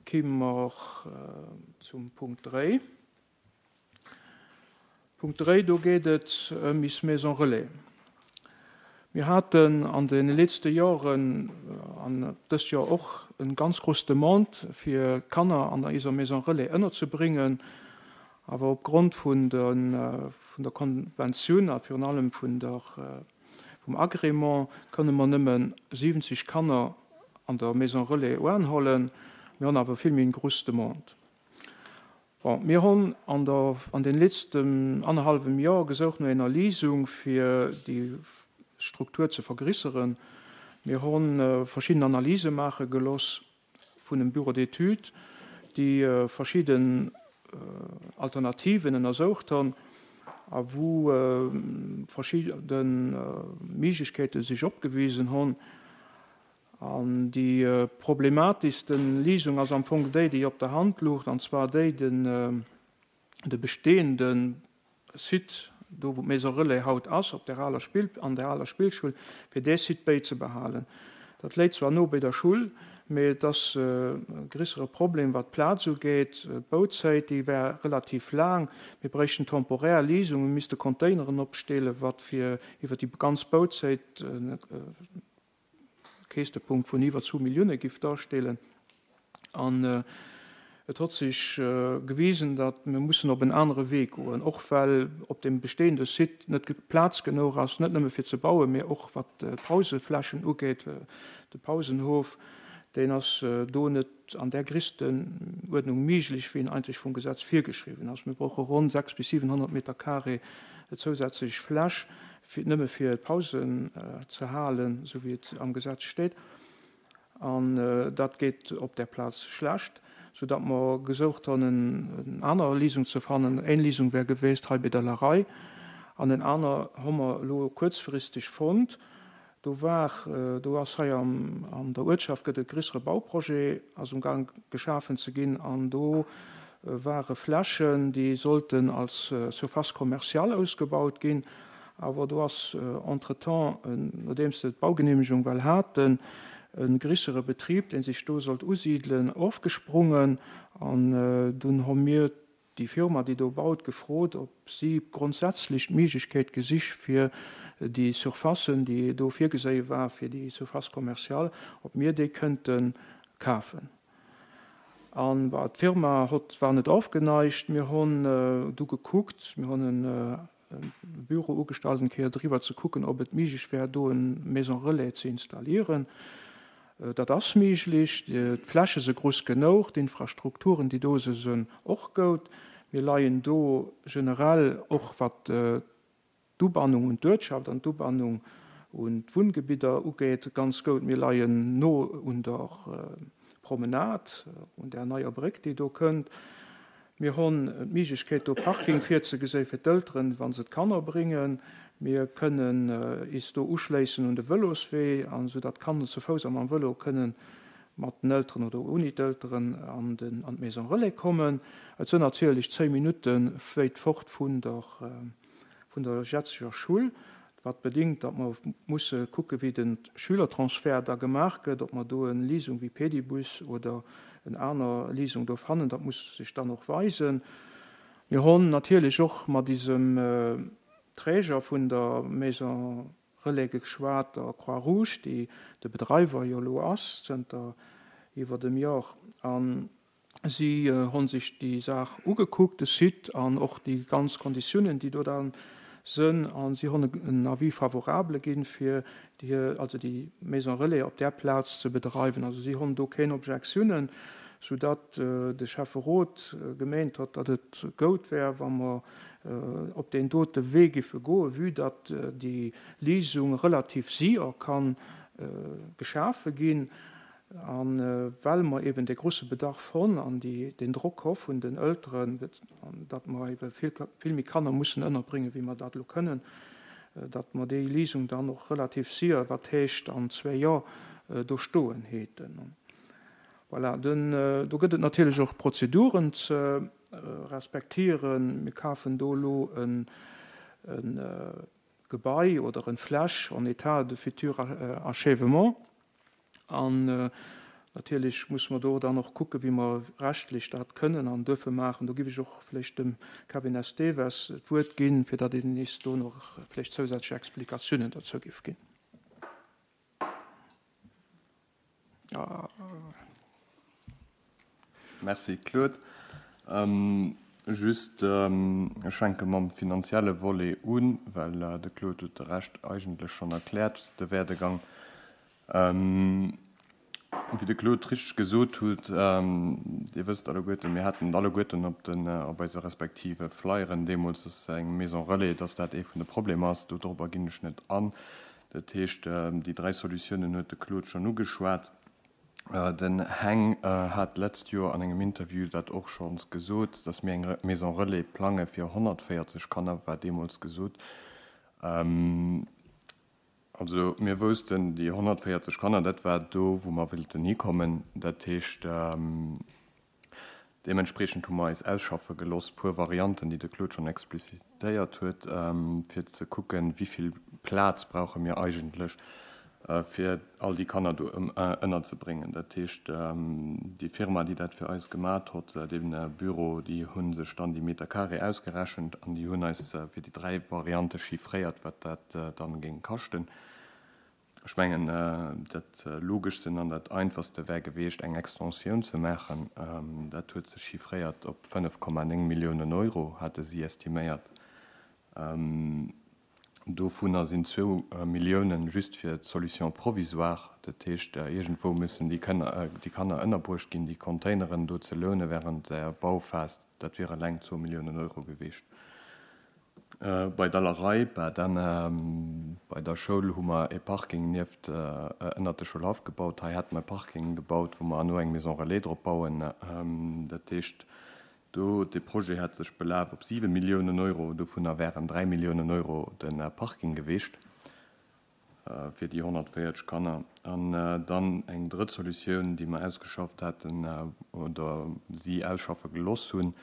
Kimm mer zum Punkt 3. Punkt 3, do geet et ëm is Maison Relais. Mir haten an de letzte Joren, an dëst Joer och, en ganz grouss Demande fir Kanner an eiser Maison Relais ënnerzebringen. Awer opgrond vun der Konventioun a virun allem vun der vum Agrément kënne mer nëmme 70 Kanner an der Maison Relais oanhollen. Mir honn awer vill méi eng grouss Demande. Bon, mir honn an der, an den letzten annerhallwem Joer gesoucht no ener Lisung fir déi Struktur ze vergrisseren. Mir honn verschidden Analyse maache geloss vun em Bureau d'études, déi verschidden Alternativen ënnersoucht honn a wou verschidde Méiglechkeete sech opgewisen honn. An déi problematischste Lisung ass am Fong déi, déi op der Hand lucht, an zwar déi, de bestehende Site, do wou d'Maison Relais haut ass, op der aler Spill, an der aler Spillschull, fir dee Site bäizebehalen. Dat léit zwar no béi der Schull, mee et ass e grissere Problem, wat d'Plaz ugeet. D'Bauzäit, déi wär relativ laang. Mir bréichten temporär Lisungen, mir misste Containeren opstellen, wat fir iwwer déi ganz Bauzäit e Käschtepunkt vun iwwer zwou Millioune giff darstellen. An et hott sech gewisen, datt mir mussen op en anere Wee goen, och well op deem bestehende Site net Plaz genuch ass, net nëmme fir ze bauen, mee och wat d'Pauseflächen ugeet. De Pausenhof, deen ass do net an där Grisstenuerdnung méiglech, wéi en eigentlech vum Gesetz virgeschriwwen ass. Mir brauche ronn 6 bis 700 Meter carré zousätzlech Fläch, fir nëmme fir d'Pausen ze halen, esou wéi et am Gesetz steet. An dat geet op där Plaz schlecht, soudatt mer gesoucht hunn, en aner Lisung ze fannen. Eng Lisung wär geweest hei bei der Larei an en aner hu mer elo kuerzfristeg fonnt. Do war, do ass hei an der Uertschaft gëtt e grissere Bauprojet ass um Gang geschafen ze ginn an do ware Flächen, déi sollten als Surface commerciale ausgebaut ginn. Awer do ass entretemps, nodeems se d'Baugenehmegung well haten, e grissere Betrib, dee sech do sollt usidelen, ofgesprungen an dunn hu mir déi Firma, déi do baut, gefrot, ob si grondsätzlech d'Méiglechkeet gesich fir déi Surfacen, déi do virgeséie war fir déi Surface commerciale, ob mir déi kënnte kafen. An d'Firma hott war net ofgeneigt. Mir honn du gekuckt, mir honn e Büro ugestallt, eng Kéier driwwer ze kucken, ob et méiglech wär, do en Maison relais ze installieren. Dat ass méiglech. D'Fläche se grouss genouch, d'Infrastrukturen, déi do se sinn, och goud. Mir leien do generell, och wat d'Ubannung un d'Uertschaft an d'Ubannung un d'Wunngebidder ugeet, ganz goud. Mir leien no un der Promenade, un där neier Bréck, déi do kënnt. Mir honn d'Miiglechkeet do Parking virzegeséi fir d'Elteren, wa se d'Kanner bréngen. Mir kënnen is do uschléissen un de Vëloswee, an esou datt d'Kanner zu Fouss a mam Vëlo kënnen mat den Elteren oder ouni d'Elteren an den an d'Maison Relais kommen. Et sënn natierlech 10 Minutte wéit fort vun der vun der jetzeger Schull, wat bedingt, datt mer musse kucke wéi de Schülertransfert da gemaach gëtt, ob mer do en Leasung wéi Pedibus oder en aner Leasung do fannen, dat muss sech dann och weisen. Mir honn natierlech och mat isem Träger vun der Maison Relais geschwat, der Croix Rouge, déi de Bedreiwer jo elo ass zënter iwwert em Jor. An Si honn sech déi Saach ugekuckt, de Site an och déi ganz Konditiounen, déi do dann sënn, a si honn en Avis favorable ginn, fir déi, also déi Maison relais op där Plaz ze bedreiwen. Also si honn do keen Objektiounen, soudatt de Schäfferot gemeent hott, datt et goud wär, wa mer op deen dote Wee giffe goen, vue datt déi Lisung relativ séier kann geschafe ginn. A well mer eben dee grosse Bedarf honn an deen Drock ho vun den Elteren, datt mer ebe vill méi Kanner mussen ënnerbréngen, wéi mer dat elo kënnen, datt mer déi Lisung dann och relativ séier, wat heescht an zwéi Joer, do stoen häten. Voilà, do gëtt et natierlech och Prozeduren ze respektieren. Mir kafen do elo e Gebai oder en Fläch en état de futur achèvement. An. Natierlech musse mer do dann och kucken, wéi mer rechtlech dat kënnen an duerfe maachen. Do giff ech och vläicht dem Kevin Esteves d'Wuert ginn, fir datt een nees do nach vläicht zousätzlech Explikatiounen dozou giff ginn. Merci Claude. Just, ech fänke mam finanzielle Volet un, well de Claude huet de Rescht eigentlech schonn erkläert, de Werdegang. Wéi de Claude richteg gesot huet, Dir wësst alleguerten, mir haten et alleguerten op den, op eise respektive Flyeren deemools, dass eng Maison relais, dass dat ee vun de Problemer ass. Dodropper ginn ech net an. Dat heescht, déi dräi Solutiounen huet de Claude schonn ugeschwat. Den Heng hat d'letzt Joer an engem Interview dat och schonns gesot, dass mir eng Maison relais plange fir 140 Kanner, war deemools gesot. Also mir woussten, déi 140 Kanner, dat war do, wou mer wëllten hikommen. Dat heescht, Deementspreechend hu mer eis ausschaffe geloss puer Varianten, déi de Claude schonn explicitéiert huet, fir ze kucken, wéi vill Plaz brauche mir eigentlech, fir all déi Kanner do ënnerzebréngen. Dat heescht, déi Firma, déi dat fir eis gemat hott, dee Büro, déi hu sech dann déi Meter carré ausgerechent an déi hunn eis fir déi dräi Variante chiffréiert, wat dat dann géing kaschten. Ech mengen, dat Logeschsten an dat Einfachste wär gewiescht, eng Extensioun ze maachen. Dat huet sech chiffréiert op 5,9 Milliounen Euro, hate si estiméiert. Dovunner sinn zwou Milliounen just fir d'Solution provisoire. Dat heescht, iergendwou müssen déi Kanner ënnerbruecht ginn. Déi Containeren do ze loune während der Bauphas, dat wier eleng zwou Milliounen Euro gewiescht. Bei der Lerei, bah dann bei der Schoul hu mer e Parking nieft, ënnert de Schoulhaff gebaut. Hei hate mer e Parking gebaut, wou mer herno eng Maison relais drop bauen. Dat heescht, do, dee Projet hat sech belaf op 7 Milliounen Euro, dovunner wären 3 Milliounen Euro de Parking gewiescht fir déi 140 Kanner. An dann eng drëtt Solutioun, déi mer ausgeschafft haten oder si ausschaffe geloss hunn,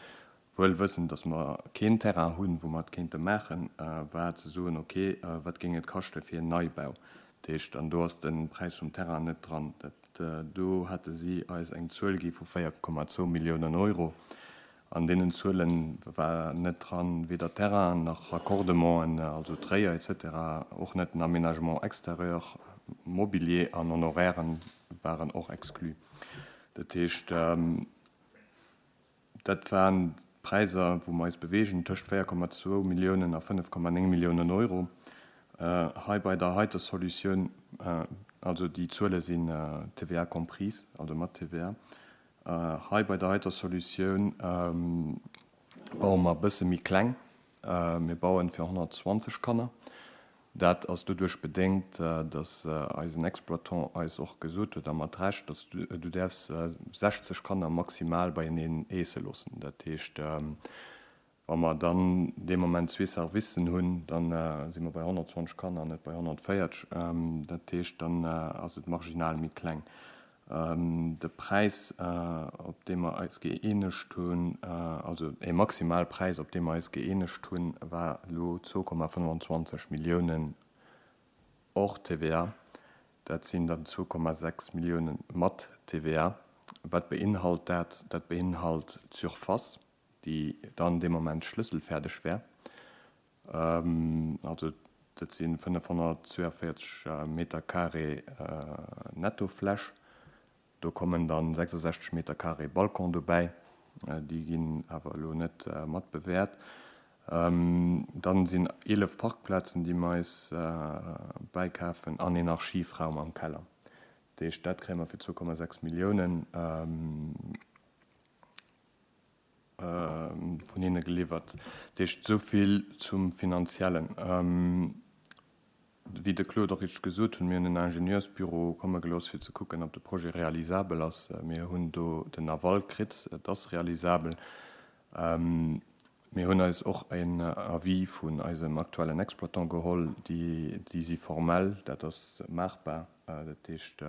Wuel wëssend, dass mer keen Terrain hunn, wou mer et kéinte maachen, war ze soen, ok, wat géing et kaschte fir en Neibau? Dat heescht, an do ass de Präis vum Terrain net dran. Dat do hate si eis eng Zuel gi vu 4,2 Milliounen Euro. An deenen Zuele war net dran weder Terrain nach Raccordementen, also d'Réier et cetera, och net den Aménagement extérieur, Mobilier an Honorairen waren och exclus. Dat heescht, Dat waren d'Präisser, wou mer eis beweegen, tëscht 4,2 Milliounen a 5,9 Milliounen Euro. Hei bei der heiter Solutioun, also déi Zuele sinn TVA comprise, also mat TVA, hei bei der heiter Solutioun baue mer e bësse méi kleng. Mir bauen fir 120 Kanner. Dat ass doduerch bedéngt, datt eisen Exploitant eis och gesot huet, a mat Recht, datt du däerfs 60 Kanner maximal beieneen eesse loossen. Dat heescht, wa mer dann dee Moment zwee Servicen hunn, da si mer bei 120 Kanner an net bei 140. Dat heescht, dann ass et marginal méi kleng. De Präis, op dee mer eis gëeenegt hunn, also e Maximalpräis, op dee mer eis gëeenegt hunn, war elo 2,25 Milliounen hors TVA. Dat sinn dann 2,6 Milliounen mat TVA. Wat beinhalt dat? Dat beinhalt d'Surface, déi dann dee Moment schlësselfäerdeg wär. Also dat si 542 Meter carré Nettofläch. Do kommen dann 66 Meter carré Balcon dobäi, déi ginn awer elo net mat bewäert. Dann sinn 11 Parkplazen, déi mer eis bäikafen an een Archivraum am Keller. Dat heescht, dat kréie mer fir 2,6 Milliounen. Vun hinne geliwwert. Dat heescht, esou vill zum Finanziellen. Wéi de Claude och richteg gesot hunn, mir hunn en Ingenieursbüro komme gelooss, fir ze kucken, ob de Projet realisabel ass. Mir hunn do den Aval kritt, et ass realisabel. Mir hunn eis och en Avis vun eisem aktuellen Exploitant geholl. Déi si formell, dat ass maachbar. Dat heescht,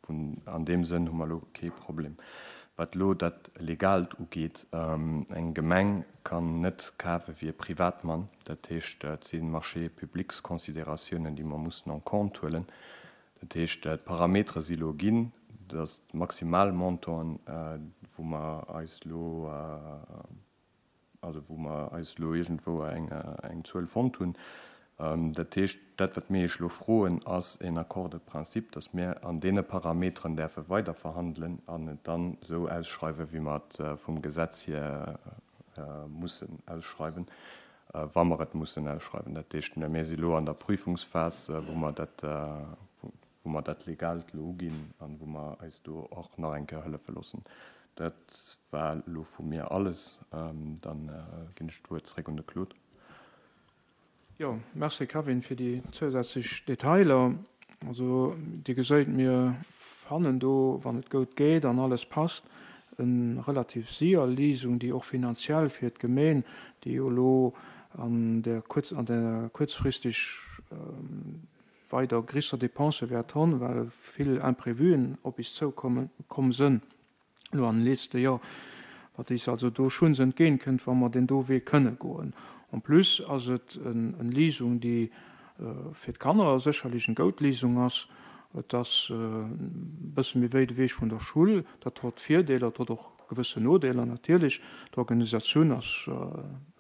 vun an deem Sënn hu mer elo kee Problem. Wat elo dat Legaalt ugeet, eng Gemeng kann net kafe wéi e Privatmann. Dat heescht, et si Marchés publics-Considératiounen, déi mer mussen en compte huelen. Dat heescht, d'Parametere si elo ginn. Dat ass d'Maximalmontant, wou mer eis elo, also wou mer eis elo iergendwou eng Zuel fonnt hunn. Dat heescht, dat wat mir Iech elo froen, ass een Accord de principe, datt mir an deene Parameteren däerfe weiderverhandelen an et dann esou ausschreiwen, wéi mer et vum Gesetz hier mussen ausschreiwen, wa mer et mussen ausschreiwen. Dat heescht, mir si elo an der Prüfungsphas, wou mer dat, wou mer dat Legaalt elo uginn an wou mer eis do och nach eng Kéier hëllefe loossen. Dat war elo vu mir alles. Dann ginn ech d'Wuert zréck un de Claude. Jo, merci Kevin fir déi zousätzlech Detailer. Also Dir geséit, mir fannen do, wann et goud geet an alles passt, e relativ sier Lisung, déi och finanziell fir d'Gemeen, déi jo elo an der kuerz, an der kuerzfristeg weider grisser Dépensë wäert honn, well vill Imprévuen op is zoukommen, komm sënn elo an den letzte Joer, wat is also do schuns entgéint kënnt, wa mer deen do Wee kënne goen. En plus ass et en Lisung, déi fir d'Kanner sécherlech en goud Lisung ass. Et ass e bësse méi wéit ewech vun der Schull. Dat hott Virdeeler, et hott och gewëssen Nodeeler natierlech. D'Organisatioun ass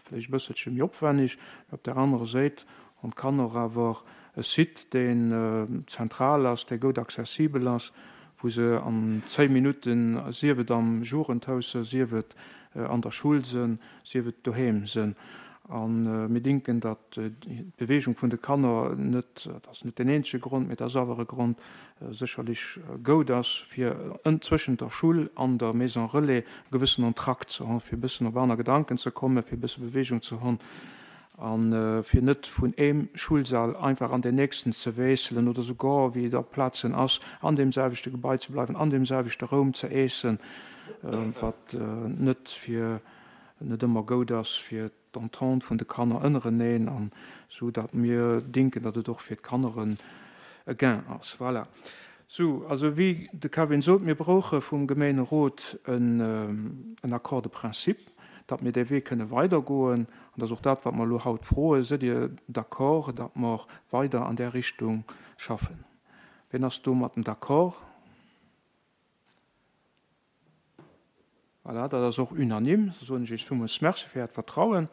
vläicht e bësselche méi opwenneg, mä op där anerer Séit hunn d'Kanner awer e Site, deen zentral ass, dee goud accessibel ass, wou se an 10 Minutten, sief et am Jugendhaus sënn, sief et an der Schull sënn, sief et doheem sënn. A mir dinken, datt d'Bewegung vun de Kanner net, dat ass net deen eenzege Grond, mee dat ass awer e Grond, sécherlech goud ass, fir zwëschent der Schull an der Maison relais e gewëssen Entracte ze hon, fir e bëssen op aner Gedanken ze kommen, fir e bësse Bewegung ze hon a fir net vun eem Schulsall einfach an deen nächsten ze wiesselen oder souguer, wéi et op Plazen ass, an deem selwechte Gebai ze bleiwen, an deem selwechte Raum ze eessen, wat net fir net ëmmer goud ass fir d'Entente vun de Kanner ënnereneen an sou datt mir dinken, datt et och fir d'Kanner e Gain ass. Voilà. Sou, also wéi de Kevin sot, mir brauche vum Gemeenerot en Accord de principe, datt mir dee Wee kënne weidergoen. An dat ass och dat, wat mer elo haut froen. Sidd Dir d'accord, datt mer weider an där Richtung schaffen? Wien ass domatten d'accord? Voilà, dat ass och unanime. Da soen ech Iech villmools Merci fir Äert Vertrauen.